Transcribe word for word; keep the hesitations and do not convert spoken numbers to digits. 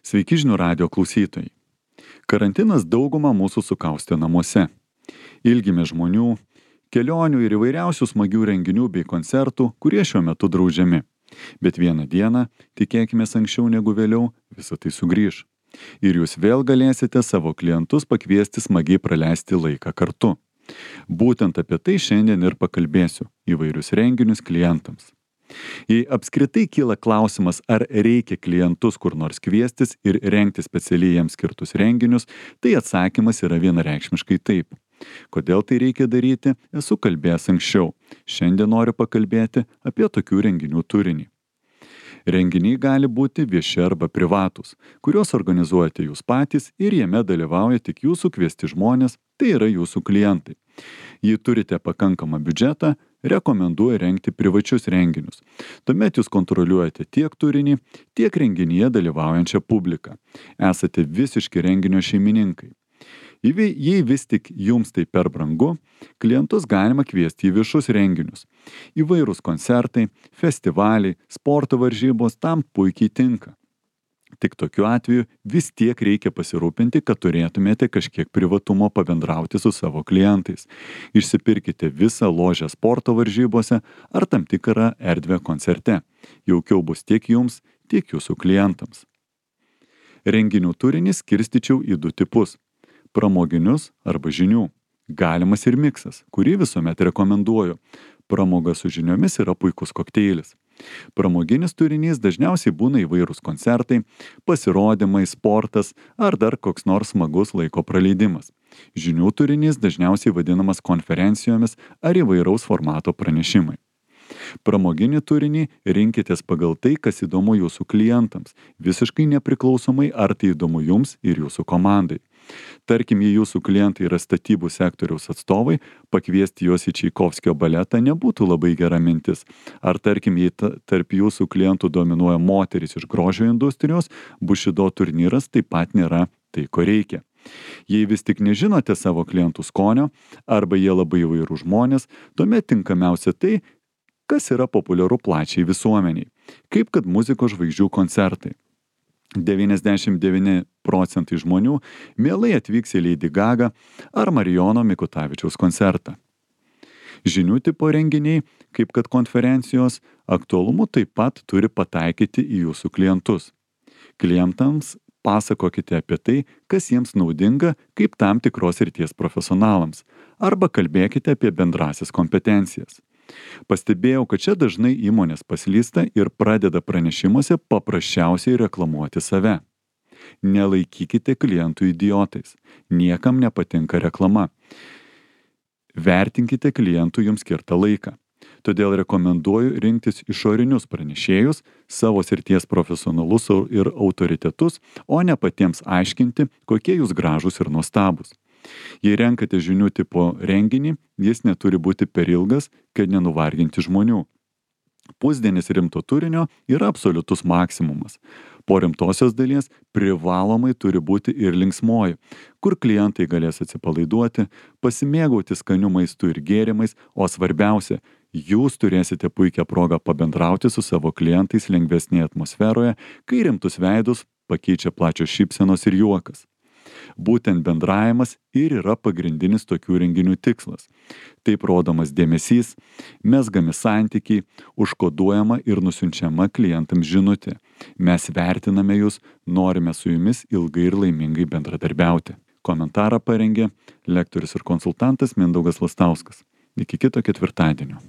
Sveiki žinių radijo klausytojai. Karantinas daugumą mūsų sukaustė namuose. Ilgimės žmonių, kelionių ir įvairiausių smagių renginių bei koncertų, kurie šiuo metu draudžiami. Bet vieną dieną, tikėkimės anksčiau negu vėliau, visa tai sugrįš. Ir jūs vėl galėsite savo klientus pakviesti smagiai praleisti laiką kartu. Būtent apie tai šiandien ir pakalbėsiu įvairius renginius klientams. Jei apskritai kyla klausimas, ar reikia klientus kur nors kviestis ir rengti specialiai jiems skirtus renginius, tai atsakymas yra vienareikšmiškai taip. Kodėl tai reikia daryti, esu kalbėjęs anksčiau. Šiandien noriu pakalbėti apie tokių renginių turinį. Renginiai gali būti vieši arba privatūs, kuriuos organizuojate jūs patys ir jame dalyvauja tik jūsų kviesti žmonės, tai yra jūsų klientai. Jei turite pakankamą biudžetą, rekomenduoju rengti privačius renginius. Tuomet jūs kontroliuojate tiek turinį, tiek renginyje dalyvaujančią publiką. Esate visiški renginio šeimininkai. Jei vis tik jums tai per brangu, klientus galima kviesti į viešus renginius. Įvairūs koncertai, festivaliai, sporto varžybos tam puikiai tinka. Tik tokiu atveju vis tiek reikia pasirūpinti, kad turėtumėte kažkiek privatumo pabendrauti su savo klientais. Išsipirkite visą ložę sporto varžybose ar tam tikrą erdvę koncerte. Jaukiau bus tiek jums, tiek jūsų klientams. Renginių turinį skirstyčiau į du tipus. Pramoginius arba žinių. Galimas ir miksas, kurį visuomet rekomenduoju. Pramoga su žiniomis yra puikus kokteilis. Pramoginis turinys dažniausiai būna įvairūs koncertai, pasirodymai, sportas ar dar koks nors smagus laiko praleidimas. Žinių turinys dažniausiai vadinamas konferencijomis ar įvairaus formato pranešimai. Pramoginį turinį rinkitės pagal tai, kas įdomu jūsų klientams, visiškai nepriklausomai ar tai įdomu jums ir jūsų komandai. Tarkim, jei jūsų klientai yra statybų sektoriaus atstovai, pakviesti juos į Čaikovskio baletą nebūtų labai gera mintis. Ar tarkim, jei tarp jūsų klientų dominuoja moterys iš grožio industrijos, bušido turnyras taip pat nėra tai, ko reikia. Jei vis tik nežinote savo klientų skonio, arba jie labai įvairūs žmonės, tuomet tinkamiausia tai, kas yra populiaru plačiai visuomeniai, kaip kad muzikos žvaigždžių koncertai. devyniasdešimt devyni procentai žmonių mielai atvyks į Lady Gaga ar Marijono Mikutavičiaus koncertą. Žinių tipo renginiai, kaip kad konferencijos, aktualumu taip pat turi pataikyti į jūsų klientus. Klientams pasakokite apie tai, kas jiems naudinga kaip tam tikros srities profesionalams, arba kalbėkite apie bendrasis kompetencijas. Pastebėjau, kad čia dažnai įmonės paslysta ir pradeda pranešimuose paprasčiausiai reklamuoti save. Nelaikykite klientų idiotais. Niekam nepatinka reklama. Vertinkite klientų jums skirtą laiką. Todėl rekomenduoju rinktis išorinius pranešėjus, savo srities profesionalus ir autoritetus, o ne patiems aiškinti, kokie jūs gražūs ir nuostabūs. Jei renkate žinių tipo renginį, jis neturi būti per ilgas, kad nenuvarginti žmonių. Pusdienis rimto turinio yra absoliutus maksimumas. Po rimtosios dalies privalomai turi būti ir linksmoji, kur klientai galės atsipalaiduoti, pasimėgauti skaniu maistu ir gėrimais, o svarbiausia, jūs turėsite puikią progą pabendrauti su savo klientais lengvesnėje atmosferoje, kai rimtus veidus pakeičia plačios šypsenos ir juokas. Būtent bendravimas ir yra pagrindinis tokių renginių tikslas. Taip rodomas dėmesys, mezgami santykiai, užkoduojama ir nusiunčiama klientams žinutė. Mes vertiname jūs, norime su jumis ilgai ir laimingai bendradarbiauti. Komentarą parengė lektorius ir konsultantas Mindaugas Lastauskas. Iki kito ketvirtadienio.